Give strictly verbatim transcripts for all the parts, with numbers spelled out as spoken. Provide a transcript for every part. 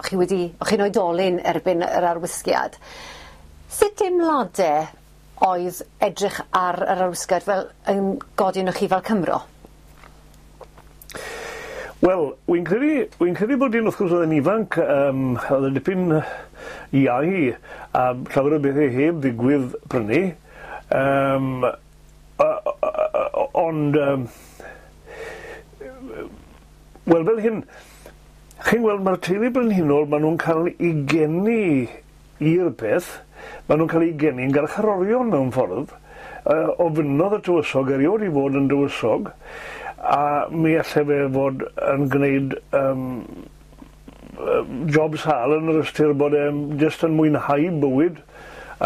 O'ch chi wedi, o'ch chi'n oedolyn erbyn yr arwisgiad. Sut deimlade oedd edrych ar yr arwisgiad fel yn godi arnoch chi fel Cymro? Wel, wy'n credu, wy'n credu bod un wrth gwrs oedd yn ifanc, um, oedd yn dipyn iau a llawer o bethau heb ddigwydd prynu. Um, ond, um, wel, fel hyn, chi'n gweld, mae'r teulu brenhinol, maen nhw'n cael eu geni i'r peth, maen nhw'n cael eu geni'n garcharorion mewn ffordd, uh, ofynnodd y tywysog erioed i fod yn dywysog, a mi allai fe fod yn gwneud um, job sâl yn yr ystyr bod e'n jyst yn mwynhau bywyd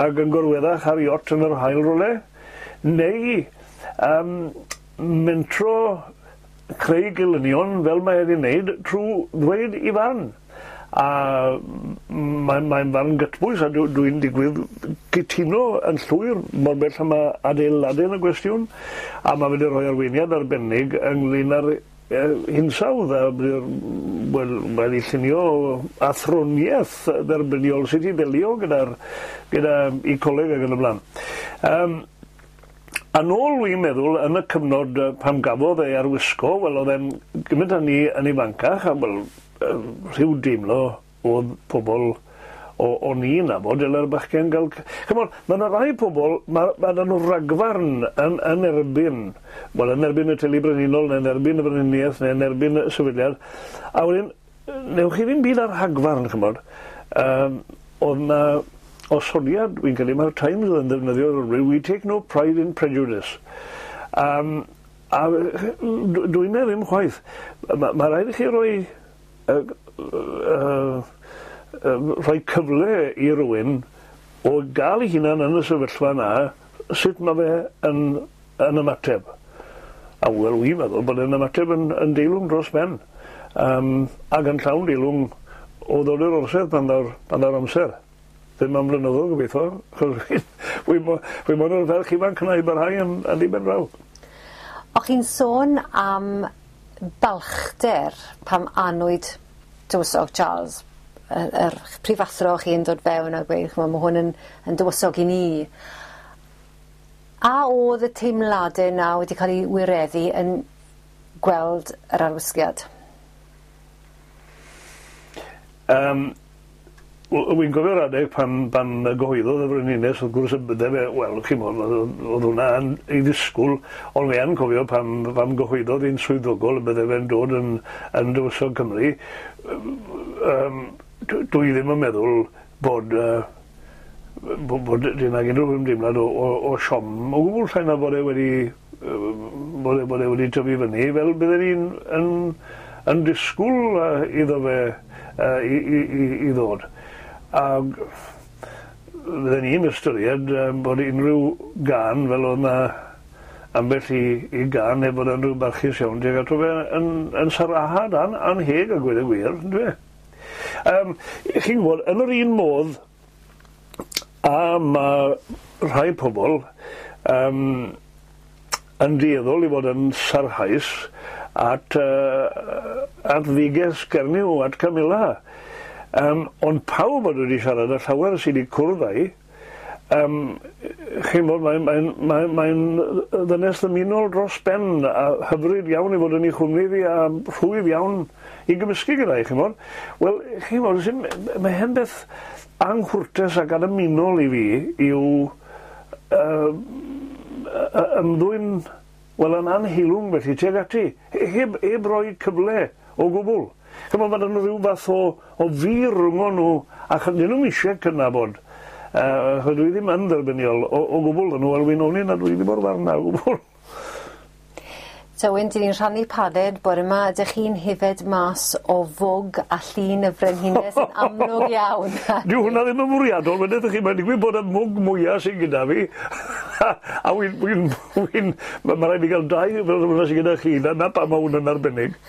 ac yn gorweddach ar iot yn yr haul rywle, neu um, mentro creu gelynion fel mae wedi wneud trwy ddweud i farn. A mae'n mae farn gytbwys a dwi'n dwi digwydd cytuno yn llwyr mor bell am adeiladu yn y gwestiwn, a mae wedi rhoi arweiniad arbennig ynglyn â'r hinsawdd a wel, wedi llunio athroniaeth dderbyniol sut i ddelio gyda'r gyda ecoleg ac yn y blaen. Um, a nôl wy'n meddwl yn y cyfnod pam gafodd ei arwisgo, wel oedd e'n gymaint â ni yn ifancach, a wel, rhyw deimlo oedd pobl o'n i'n nabod, dyle'r bachgen gael. Chimod, mae yna rai pobl, mae ma 'da nhw ragfarn yn, yn erbyn, wel, yn erbyn y teulu brenhinol, neu yn erbyn y frenhiniaeth, neu yn erbyn y sefydliad, a wedyn, newch chi ddim byd ar rhagfarn, chimod. Um, oedd na osodiad, wy'n credu, mae'r Times yn ddefnyddio, "We take no pride in prejudice." Um, a dwi'n meddwl ddim chwaith. Mae ma rhaid i chi roi uh, uh, uh, rhoi cyfle i rywun o gael ei hunan yn y sefyllfa yna, sut mae fe yn, yn ymateb. A wel, wy'n meddwl bod e'n ymateb yn, yn deilwng dros ben. Um, ac yn llawn deilwng o ddod i'r orsedd pan ddaw'r, pan ddaw'r amser. Ddim am flynyddoedd gobeithio, achos wi wi moyn o'r ferch ifanc yna i barhau yn, yn ddiben draw. O'ch chi'n sôn am balchder pam anwyd Tywysog Charles, yr, yr prifathro chi'n dod fewn a gweud, ch'mo', ma' hwn yn, yn dywysog i ni. A oedd y teimladau 'na wedi cael eu wireddu yn gweld yr arwisgiad? Um, Wy'n gofio'r adeg pan, pan gyhoeddodd y frenhines, wrth gwrs y bydde fe, wel, chi'mod, oedd hwnna yn ei ddisgwyl, ond fi yn cofio pan, pan gyhoeddodd hi'n swyddogol y bydde fe'n dod yn, yn dywysog Cymru, um, dwi ddim yn meddwl bod, uh, bod, bod dyn ag unrhyw ymdeimlad o, o, o siom o gwbl, llai na bod e wedi, bod e, bod e wedi tyfu fyny, fel bydden ni'n yn, yn disgwyl uh, iddo fe uh, i, i, i, i ddod. A fydden ni'n ystyried um, bod unrhyw gân fel oedd 'na ambell i, i gân neu bod yn rhyw barchus iawn tuag ato fe yn, yn sarahad an, anheg a gweud y gwir, on'd yw e? Um, chi'n gwybod, yn yr un modd a mae rhai pobl um, yn dueddol i fod yn sarhaus at, uh, at dduges Gernyw, at Camilla. Um, ond pawb oedd wedi siarad â llawer sydd wedi cwrdd â hi, um, chi'n bod, mae'n mae, mae, mae ddynes ddymunol dros ben a hyfryd iawn i fod yn ei chwmni fi a rhwydd iawn i gymysgu gyda hi, chi'n bod. Wel, chi'n bod, mae hen beth anghwrtes ac annymunol i fi yw uh, ymddwyn, wel, yn anheilwng felly tuag ati, heb, heb roi cyfle o gwbl. Chymod, mae nhw rhyw fath o, o fur rhwng nhw, a dyn nhw'm eisiau cydnabod. Uh, dwi ddim yn dderbyniol o, o gwbl nhw, wel, wy'n ofni na dwi ddim o'r farn na o gwbl. Tywyn, dyn ni'n rhannu paned bore yma. Ydych chi'n hefyd mas o fwg a llun y frenhines yn amlwg iawn? Dyw hwnna ddim yn fwriadol, wedyn chi, mae'n digwydd bod y mwg mwyaf sy'n gyda fi. A wy'n, wy'n, wy'n, mae ma raid fi gael dau fel hwnna sy'n gyda chi, na, na pam mae hwn yn arbennig.